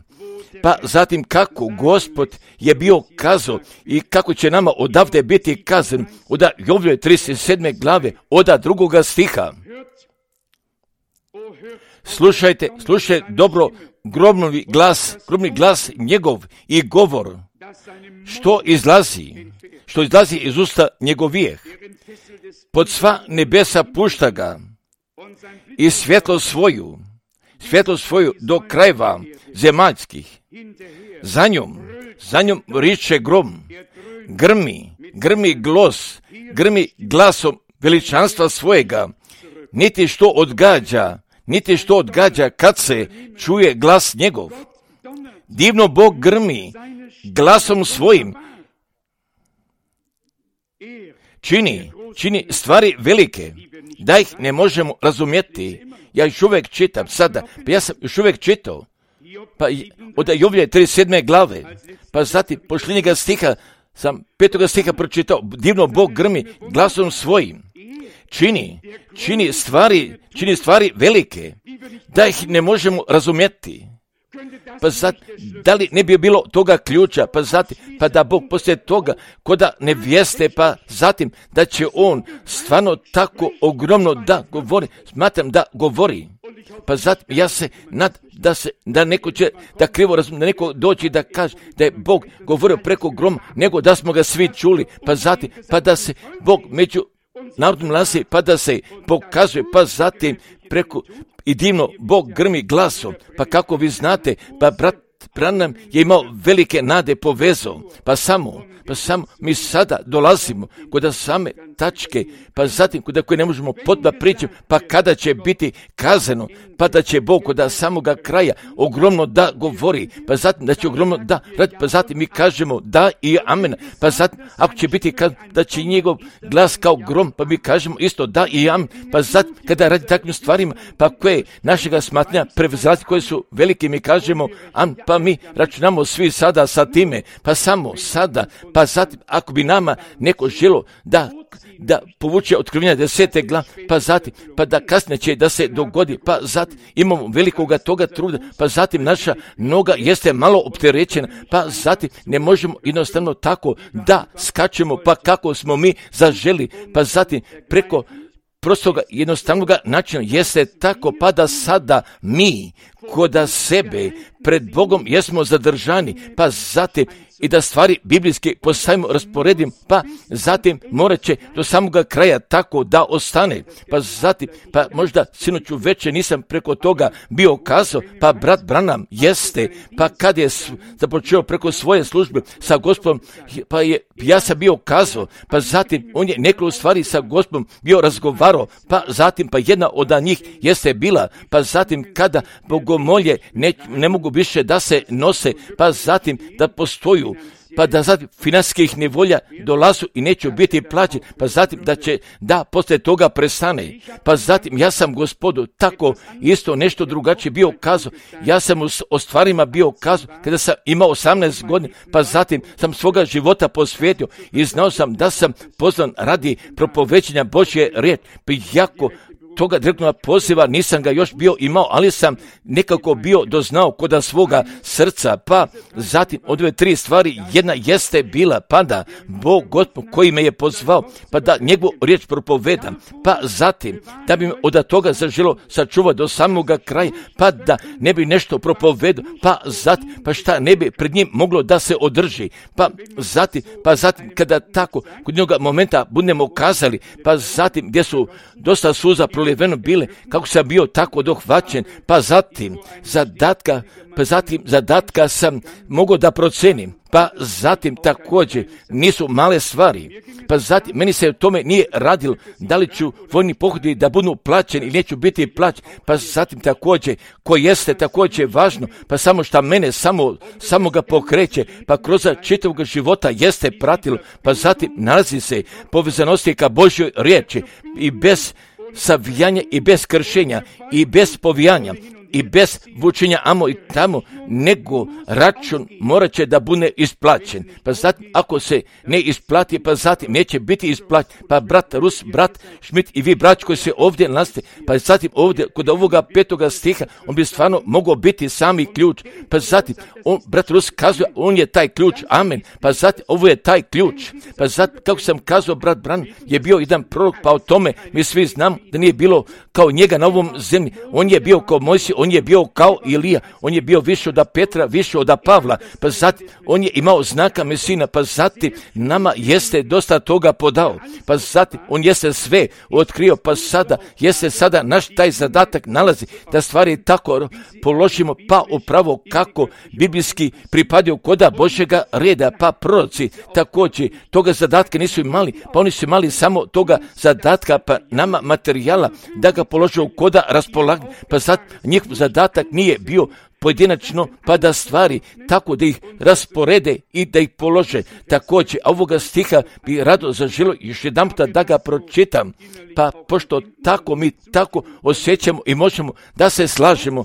Pa zatim kako Gospod je bio kazao i kako će nama odavde biti kazan od Jovljeve 37. glave od 2. stiha. Slušajte dobro gromni glas njegov i govor, što izlazi iz usta njegovijeh. Pod sva nebesa pušta ga i svjetlo svoju do krajeva zemaljskih. Za njom riče grom, grmi glasom veličanstva svojega, niti što odgađa kad se čuje glas njegov. Divno Bog grmi glasom svojim, čini stvari velike, da ih ne možemo razumjeti. Ja još uvijek čitam sada, pa ja sam još uvijek čitao, pa od Jovljeve 37. glave, pa zatim posljednjega stiha, sam 5. stiha pročitao, divno Bog grmi glasom svojim, čini stvari velike, da ih ne možemo razumjeti. Pa zatim, da li ne bi bilo toga ključa, pa da Bog poslije toga koda nevjeste, pa zatim da će on stvarno tako ogromno da govori, smatram da govori. Pa zatim ja se da neko će da krivo razumije, da neko doći da kaže da je Bog govorio preko groma, nego da smo ga svi čuli, pa zatim, pa da se Bog među narodom nalazi, pa da se pokazuje, pa zatim preko i divno Bog grmi glasom, pa kako vi znate, pa Branham je imao velike nade povezao, pa samo mi sada dolazimo kod same tačke, pa zatim kod koje ne možemo potpuno pričati, pa kada će biti kazano, pa da će Bog kod samoga kraja ogromno da govori, pa zatim da će ogromno da radi, pa zatim mi kažemo da i amen, pa zatim ako će biti da će njegov glas kao grom, pa mi kažemo isto da i amen, pa zatim kada radi takvim stvarima, pa koje našega smatranja prevezrati koje su velike, mi kažemo amen, pa mi računamo svi sada sa time, pa samo sada, pa zatim ako bi nama neko želo da povuče otkrivenja 10. glave, pa zatim, pa da kasnije će da se dogodi, pa zatim imamo velikoga toga truda, pa zatim naša noga jeste malo opterećena, pa zatim ne možemo jednostavno tako da skačemo, pa kako smo mi zaželi, pa zatim preko prostoga jednostavnoga načina jeste tako, pa da sada mi koda sebe pred Bogom jesmo zadržani, pa zatim i da stvari biblijski postavimo, rasporedim, pa zatim morat će do samoga kraja tako da ostane, pa zatim, pa možda sinoću večer nisam preko toga bio kazao, pa brat Branham jeste, pa kad je započeo preko svoje službe sa Gospodom, pa ja sam bio kazao, pa zatim on je nekoliko stvari sa Gospodom bio razgovarao, pa zatim, pa jedna od njih jeste bila, pa zatim kada bogomolje ne mogu više da se nose, pa zatim da postoju, pa da zatim financijskih nevolja dolazu i neće biti plaćen, pa zatim da poslije toga prestane. Pa zatim ja sam Gospodu tako isto nešto drugačije bio kazao. Ja sam o stvarima bio kazao kada sam imao 18 godina, pa zatim sam svoga života posvetio i znao sam da sam pozvan radi propovećenja Božje riječi. Pa jako toga direktnog poziva nisam ga još bio imao, ali sam nekako bio doznao koda svoga srca, pa zatim od ove 3 stvari jedna jeste bila, pa da Bog Gospod koji me je pozvao, pa da njegovu riječ propovedam, pa zatim da bi me od toga zaželo sačuvati do samoga kraja, pa da ne bi nešto propovedao, pa zatim, pa šta ne bi pred njim moglo da se održi, pa zatim kada tako kod njega momenta budemo kazali, pa zatim gdje su dosta suza proliveno bile, kako sam bio tako dohvaćen, pa zatim zadatka sam mogao da procenim, pa zatim također nisu male stvari, pa zatim meni se o tome nije radilo da li ću vojni pohodi da budu plaćeni ili neću biti plaćen, pa zatim također koji jeste također važno, pa samo šta mene samo ga pokreće, pa kroz čitavog života jeste pratilo, pa zatim nalazi se povezanosti ka Božjoj riječi i bez savijanja i bez kršenja i bez povijanja i bez vučenja amo i tamo, nego račun morat će da bude isplaćen. Pa zatim ako se ne isplati, pa zatim neće biti isplaćen. Pa brat Rus, brat Šmit i vi braći koji se ovdje nalaste, pa zatim ovdje kod ovoga 5. stiha on bi stvarno mogao biti sami ključ. Pa zatim brat Rus kazuje on je taj ključ, amen. Pa zatim ovo je taj ključ. Pa zatim kako sam kazao brat Bran je bio jedan prorok, pa o tome mi svi znamo da nije bilo kao njega na ovom zemlji. On je bio kao Mojsije, on je bio kao Ilija, on je bio više od Petra, više od Pavla, pa zatim on je imao znaka Mesina, pa zatim nama jeste dosta toga podao, pa zatim on jeste sve otkrio, pa sada naš taj zadatak nalazi da stvari tako položimo, pa upravo kako biblijski pripadaju koda Božjega reda, pa proroci također toga zadatka nisu imali, pa oni su imali samo toga zadatka, pa nama materijala da ga polože u koda raspolaganja, pa zatim njihov zadatak nije bio pojedinačno, pa da stvari tako da ih rasporede i da ih polože. Također, ovoga stiha bi rado zaželio još jedan puta da ga pročitam, pa pošto tako mi tako osjećamo i možemo da se slažemo,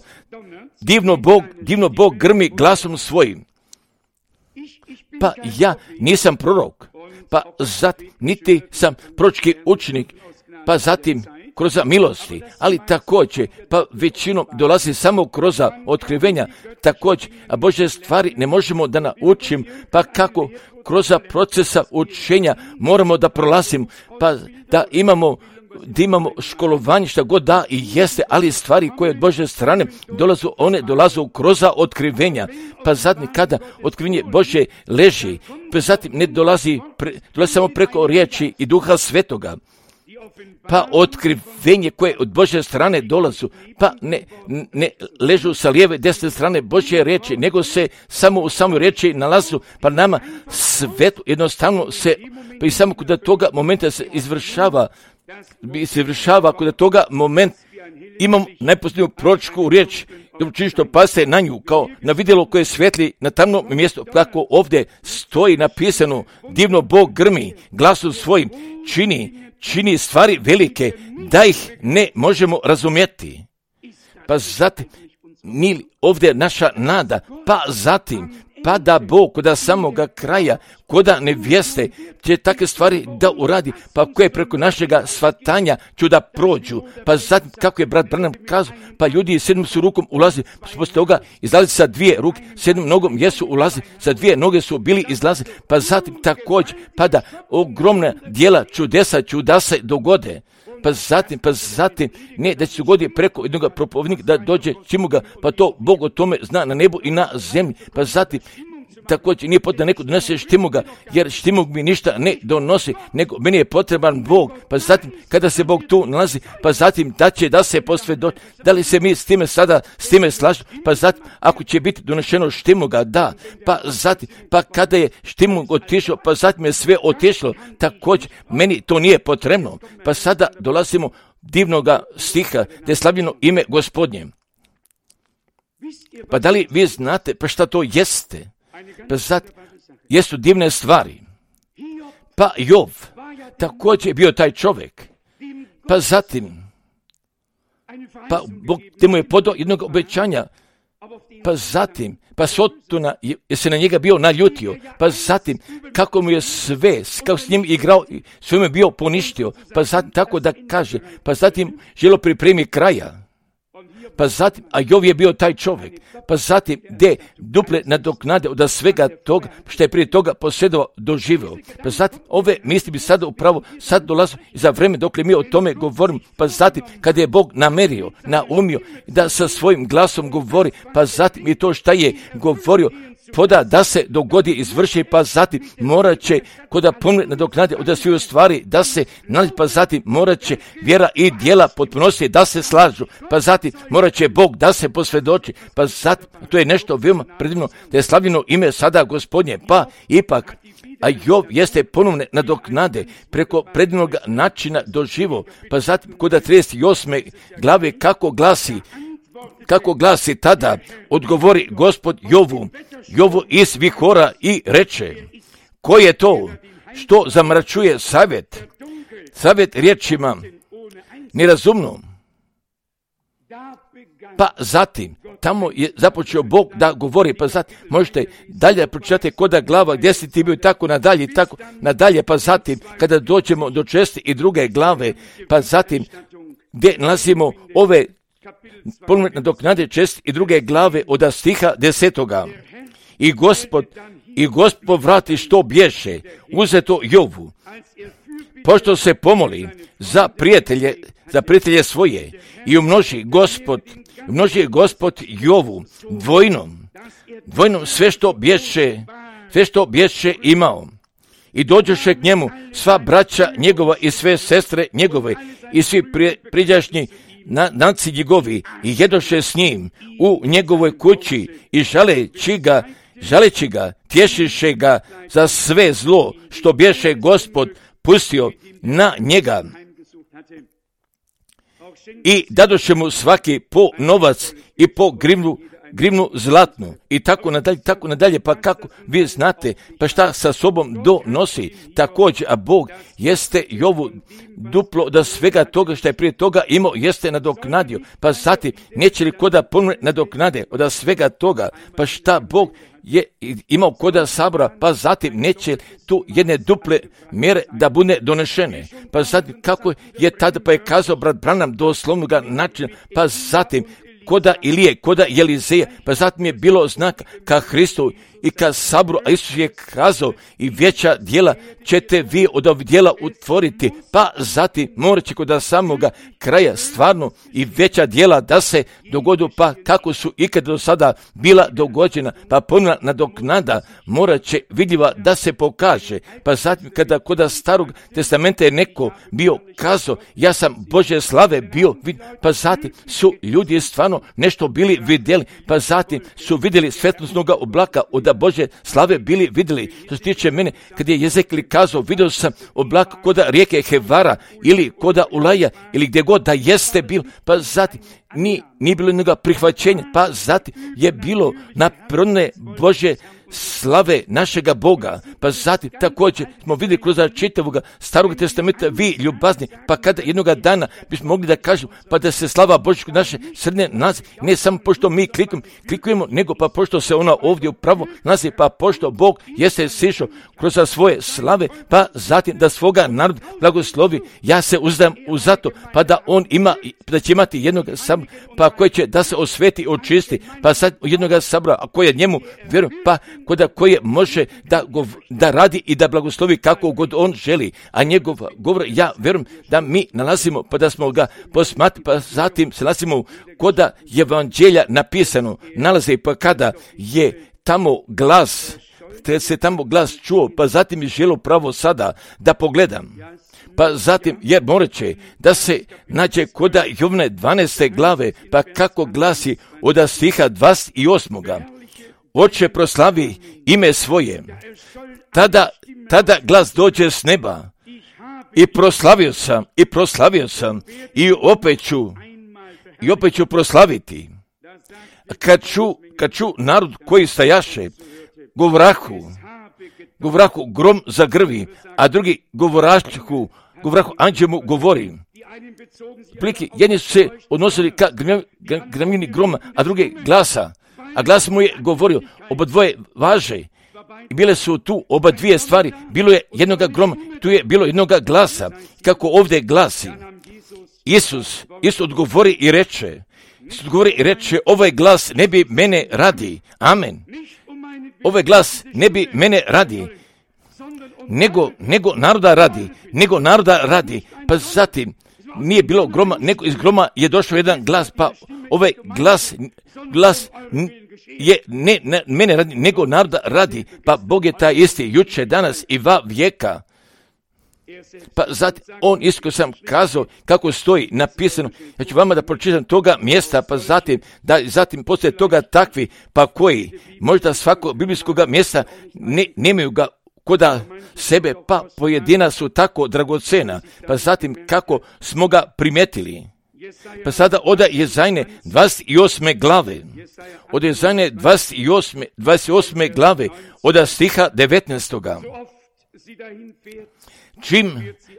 divno Bog grmi glasom svojim. Pa ja nisam prorok, pa zatim niti sam proročki učenik, pa zatim kroz milosti, ali također, pa većinom dolazi samo kroz otkrivenja, također, a Božje stvari ne možemo da naučim, pa kako kroz procesa učenja moramo da prolazimo, pa da imamo školovanje šta god da i jeste, ali stvari koje od Božje strane dolazu kroz otkrivenja, pa zatim kada otkrivenje Božje leži, pa zatim ne dolazi samo preko riječi i Duha Svetoga, pa otkrivenje koje od Božje strane dolazu, pa ne ležu sa lijeve, desne strane Božje riječi, nego se samo u samoj riječi nalazu, pa nama svetu jednostavno se, pa i samo kod toga momenta se izvršava kod toga momenta imam najposljednju proročku riječ, što pase na nju, kao na vidjelo koje svetli na tamnom mjestu, kako ovdje stoji napisano, divno Bog grmi, glasom svojim čini stvari velike, da ih ne možemo razumjeti. Pa zatim, ovdje naša nada, pa zatim, pa da Bog koda samoga kraja, koda nevjeste, će takve stvari da uradi, pa koje preko našega shvatanja ću da prođu. Pa zatim, kako je brat Branham kazao, pa ljudi s jednom su rukom ulazi, pa su poslije toga izlazi sa dvije ruke, s jednom nogom jesu ulazi, sa dvije noge su bili izlazi, pa zatim također, pa da ogromna djela čudesa ću da se dogode. Pa zatim, ne da će se dogodi preko jednog propovednika da dođe čemu ga, pa to Bog o tome zna na nebu i na zemlji. Pa zatim, također nije potrebno da neko donese štimoga, jer štimog mi ništa ne donosi, nego meni je potreban Bog. Pa zatim, kada se Bog tu nalazi, pa zatim da će da se posvjedoči, da li se mi s time slažemo, pa zatim, ako će biti donešeno štimoga, da, pa zatim, pa kada je štimog otišao, pa zatim je sve otišlo, također, meni to nije potrebno. Pa sada dolazimo divnoga stiha, da je slavljeno ime Gospodnje. Pa da li vi znate, pa šta to jeste? Pa zatim, jesu divne stvari. Pa Jov, također je bio taj čovjek. Pa zatim, pa Bog te mu je podao jednog obećanja. Pa zatim, pa Sotona je se na njega bio naljutio. Pa zatim, kako mu je sve, kako s njim igrao, sve mu je bio poništio. Pa zatim, tako da kaže, pa zatim želo pripremi kraja. Pa zatim, a Jov je bio taj čovjek, pa zatim, gdje duple nadoknade od svega toga, što je prije toga posjedovao, doživio. Pa zatim, ove misli bi sada upravo, sad dolazu za vreme dok mi o tome govorimo, pa zatim, kada je Bog namerio, naumio, da sa svojim glasom govori, pa zatim i to šta je govorio, poda da se dogodi izvrši, pa zatim morat će koda pomne nadoknade od svih stvari da se nalazi, pa zatim morat će vjera i djela potpunosti da se slažu, pa zatim morat će Bog da se posvjedoči, pa zatim to je nešto veoma predivno, da je slavljeno ime sada Gospodnje, pa ipak, a Jov jeste ponovne nadoknade preko predivnog načina doživo, pa zatim koda 38. glave kako glasi tada, odgovori Gospod Jovu iz vihora i reče, ko je to što zamračuje savjet riječima nerazumnom? Pa zatim, tamo je započeo Bog da govori, pa zatim možete dalje pročitati koda glava gdje si ti bio tako nadalje, pa zatim kada dođemo do 62. glave, pa zatim gdje nalazimo ove ponovne nadoknade 62. glave od stiha 10. I Gospod vrati što bješe uzeto Jovu, pošto se pomoli za prijatelje svoje i umnoži Gospod Jovu dvojnom sve što bješe imao. I dođoše k njemu sva braća njegova i sve sestre njegove i svi priđašnji naci njegovi i jedoše s njim u njegovoj kući i žaleći ga, tješiše ga za sve zlo što bješe Gospod pustio na njega. I dadoše mu svaki po novac i po grivnu zlatnu i tako nadalje, pa kako vi znate, pa šta sa sobom donosi također, a Bog jeste Jovu duplo da svega toga što je prije toga imao jeste nadoknadio, pa zatim neće li koda ponovne nadoknade od svega toga, pa šta Bog je imao koda sabora, pa zatim neće tu jedne duple mjere da bude donešene, pa zatim kako je tada, pa je kazao brat Branham doslovnoga načina, pa zatim koda Ilije, koda Elizeja, pa zatim je bilo znak ka Hristu i kad sabru, a Isus je kazao i veća djela ćete vi od ovih djela utvoriti, pa zatim morat će kod samoga kraja stvarno i veća djela da se dogodu, pa kako su ikad do sada bila dogođena, pa ponovna nadoknada morat će vidljiva da se pokaže, pa zatim kada kod starog testamenta je neko bio kazao, ja sam Božje slave bio, pa zatim su ljudi stvarno nešto bili vidjeli, pa zatim su vidjeli svetlosnog oblaka od Božje slave bili vidjeli. Što se tiče mene, kad je Jezekli kazao, vidio sam oblak kod rijeke Hevara ili kod Ulaja ili gdje god da jeste bil, pa zatim nije bilo jednoga prihvaćenja, pa zatim je bilo naprone Božje slave našega Boga, pa zatim također smo vidjeli kroz čitavog starog testamenta, vi ljubazni, pa kada jednoga dana bismo mogli da kažemo, pa da se slava Božja naše srednje nalazi, ne samo pošto mi klikujemo, nego pa pošto se ona ovdje upravo nalazi, pa pošto Bog jeste sišao kroz svoje slave, pa zatim da svoga naroda blagoslovi, ja se uzdajem u zato, pa da on ima, da će imati jednog sabora, pa koji će da se osveti, očisti, pa sad jednog sabora, a koji je njemu vjerujem, pa koje može da radi i da blagoslovi kako god on želi, a njegov govor, ja vjerujem da mi nalazimo, pa da smo ga posmatrali, pa zatim se nalazimo kod evanđelja napisano, nalazi, pa kada je tamo glas, te se tamo glas čuo, pa zatim je želio pravo sada da pogledam. Pa zatim je moreće da se nađe kod Jovne 12. glave, pa kako glasi od stiha 28. Oče proslavi ime svoje. Tada glas dođe s neba i proslavio sam i opet ću proslaviti. Kad ču narod koji stajaše, govrahu grom zagrvi, a drugi govrahu anđemu govori. Pliki, jedni su se odnosili ka gramini groma, a drugi glasa. A glas mu je govorio, oba dvoje važe. I bile su tu oba dvije stvari. Bilo je jednoga groma, tu je bilo jednoga glasa. Kako ovdje glasi. Isus odgovori i reče, ovaj glas ne bi mene radi. Amen. Ovaj glas ne bi mene radi. Nego naroda radi. Pa zatim nije bilo groma, nego iz groma je došao jedan glas, pa ovaj glas je ne mene radi, nego naroda radi, pa Bog je taj isti juče, danas i va vijeka. Pa zatim on isto sam kazao kako stoji napisano, ja ću vama da pročitam toga mjesta, pa zatim poslije toga takvi, pa koji možda svakog biblijskog mjesta nemaju ga koda sebe, pa pojedina su tako dragocena, pa zatim kako smo ga primetili. Pa sada od Jezajne 28. glave, od Jezajne 28. glave, od stiha 19.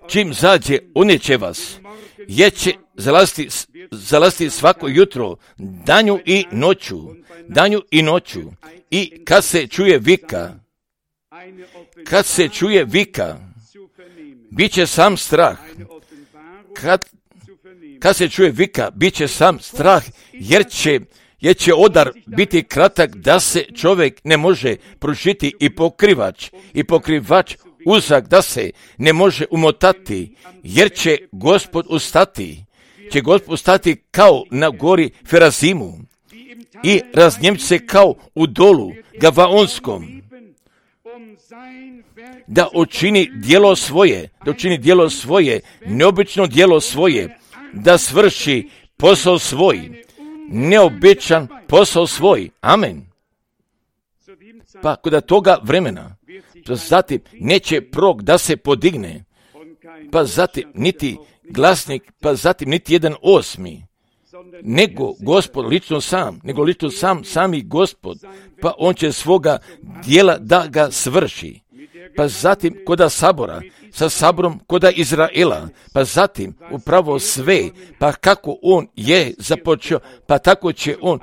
Čim zađe, uneće vas, jeće zalaziti svako jutro, danju i noću, i kad se čuje vika, bit će sam strah. Kad se čuje vika, bit će sam strah, jer će odar biti kratak da se čovjek ne može pružiti i pokrivač uzak da se ne može umotati, jer će Gospod ustati kao na gori Ferazimu i raznjemći se kao u dolu Gavaonskom, da učini djelo svoje, neobično djelo svoje, da svrši posao svoj, neobičan posao svoj. Amen. Pa kod toga vremena, pa zatim neće prorok da se podigne, pa zatim niti glasnik, pa zatim niti jedan osmi, nego Gospod lično sami Gospod, pa on će svoga djela da ga svrši. Pa zatim koda sabora, sa saborom koda Izraela, pa zatim upravo sve, pa kako on je započeo, pa tako će on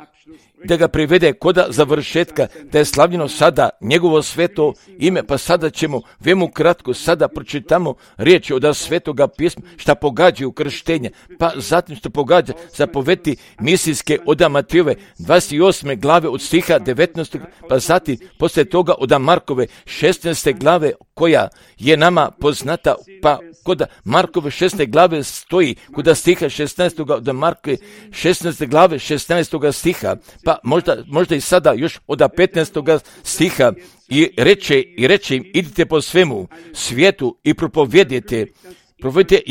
da ga privede koda završetka, da je slavljeno sada njegovo sveto ime, pa sada ćemo vemu kratko sada pročitamo riječi od svetoga pisma, šta pogađaju krštenje, pa zatim što pogađa zapovesti misijske od Matejove 28. glave od stiha 19. pa zatim poslije toga od Markove 16. glave koja je nama poznata, pa kod Markove 16. glave stoji kod stiha 16. od Markove 16. glave 16. stiha, pa možda i sada još od 15. stiha i reče im, idite po svemu svijetu i propovedite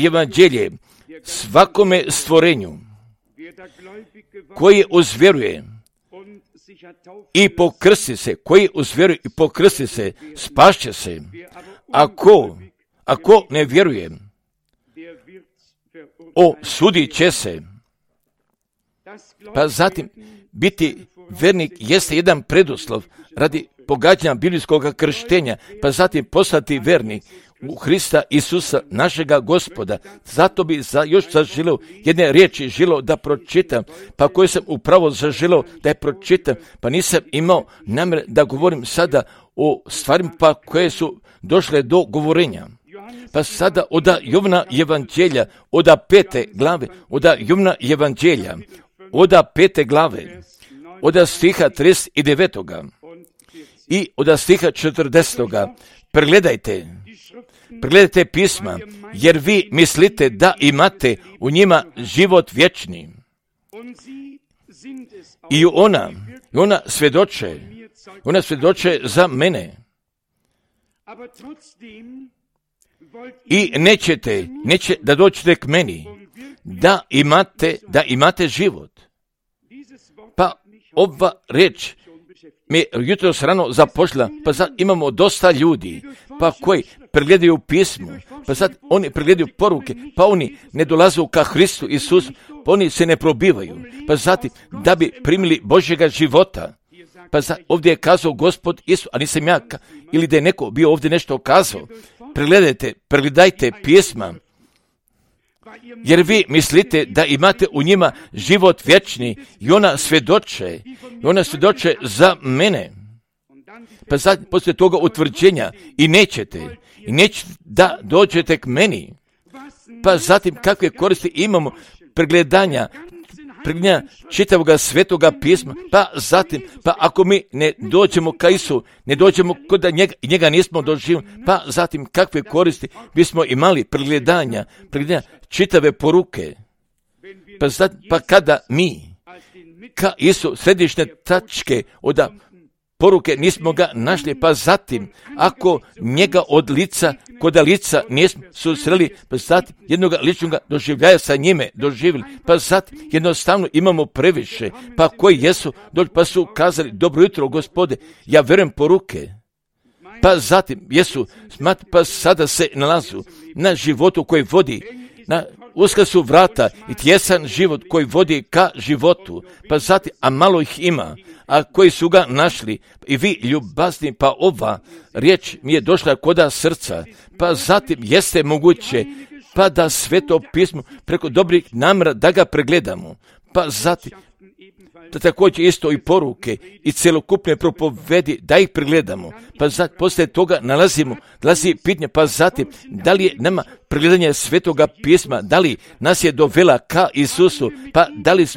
evanđelje svakome stvorenju koji uzvjeruje i pokrsti se, spašće se. Ako ne vjeruje, osudit će se. Pa zatim, biti vernik jeste jedan preduslov radi pogađanja biblijskog krštenja, pa zatim postati vernik u Hrista Isusa, našega Gospoda. Zato bi još zaželio jedne riječi želio da pročitam, pa koje sam upravo zaželio da je pročitam, pa nisam imao namjer da govorim sada o stvarima pa koje su došle do govorenja. Pa sada od Jovana evanđelja, od 5. glave, od Jovana evanđelja, od 5. glave, od stiha 39. i od stiha 40. Pregledajte pisma, jer vi mislite da imate u njima život vječni. I ona svjedoče za mene. I neće da dođete k meni, da imate život. Pa ova riječ mi jutros rano započela, pa sad imamo dosta ljudi, pa koji pregledaju pismo, pa sad oni pregledaju poruke, pa oni ne dolaze ka Hristu Isusu, pa oni se ne probivaju, pa zatim da bi primili Božjega života. Pa ovdje je kazao Gospod Isus, a nisam ja, ili da je neko bio ovdje nešto kazao. Pregledajte pisma, jer vi mislite da imate u njima život vječni i ona svjedoče za mene. Pa sad, poslije toga utvrđenja i nećete da dođete k meni. Pa zatim, kakve koristi imamo pregledanja čitavog svetoga pisma, pa zatim, pa ako mi ne dođemo ka Isu, ne dođemo kod njega nismo doživjeli, pa zatim kakve koristi bismo imali pregledanja čitave poruke. Pa kada mi ka Isu središnje tačke od poruke nismo ga našli, pa zatim ako njega kod lica nismo susreli, pa zatim jednog ličnog doživljaja sa njime doživjeli, pa zatim jednostavno imamo previše, pa koji jesu, pa su kazali, dobro jutro Gospode, ja vjerujem poruke, pa zatim jesu, pa sada se nalazu na životu koji vodi, uska su vrata i tjesan život koji vodi ka životu, pa zatim, a malo ih ima, a koji su ga našli, i vi ljubazni, pa ova riječ mi je došla koda srca, pa zatim jeste moguće, pa da sveto pismo preko dobrih namjera da ga pregledamo, pa zatim da također isto i poruke i celokupne propovedi da ih pregledamo, pa zatim poslije toga dolazi pitanje, pa zatim da li je nama pregledanje svetoga pisma, da li nas je dovela ka Isusu, pa da li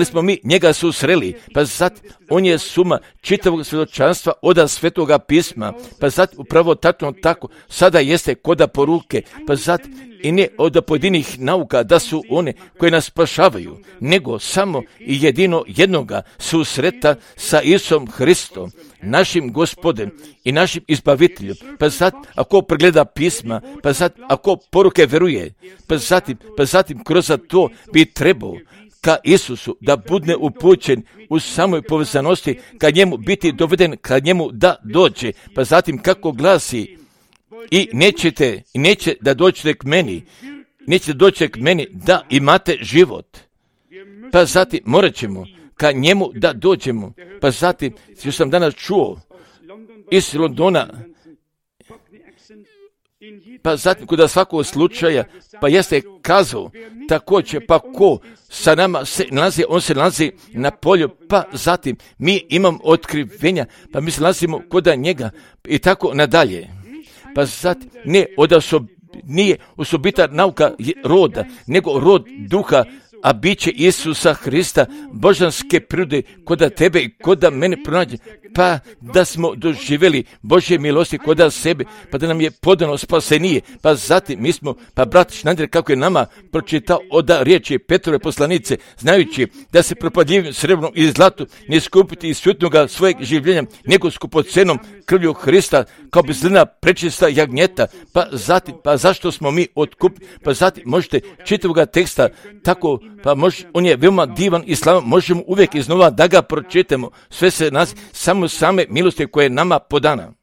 smo mi njega susreli, pa zatim on je suma čitavog svjedočanstva od svetoga pisma, pa zatim upravo tako sada jeste koda poruke, pa zatim i ne od pojedinih nauka da su one koje nas spašavaju, nego samo i jedino jednoga susreta sa Isusom Hristom, našim Gospodem i našim izbaviteljem. Pa zatim ako pregleda pisma, pa zatim ako poruke veruje, pa zatim kroz to bi trebao ka Isusu da bude upućen u samoj povezanosti, ka njemu biti doveden, ka njemu da dođe, pa zatim kako glasi, i neće da dođete k meni, da imate život. Pa zatim morat ćemo ka njemu da dođemo. Pa zatim, što sam danas čuo iz Londona, Pa zatim, kod svakog slučaja, pa jeste kazao, također, pa ko sa nama se nalazi, on se nalazi na polju, pa zatim mi imamo otkrivenja, pa mi se nalazimo kod njega i tako nadalje. Pa zatim, nije osobita nauka roda, nego rod duha, a biće Isusa Hrista, božanske prirode, koda tebe i koda mene pronađe, pa da smo doživjeli Božje milosti koda sebe, pa da nam je podano spasenije, pa zatim mi smo, pa brat Schneider kako je nama pročitao od riječi Petrove poslanice, znajući da se propadljivim srebrnom i zlatu ne skupiti iz svjetnoga svojeg življenja, nego skupocenom krvlju Hrista, kao bezlina prečista jagnjeta, pa zatim, pa zašto smo mi otkupili, pa zatim možete čitavoga teksta tako, pa on je veoma divan i slavan, možemo uvijek iznova da ga pročitamo, sve se nas samo same milosti koje je nama podana.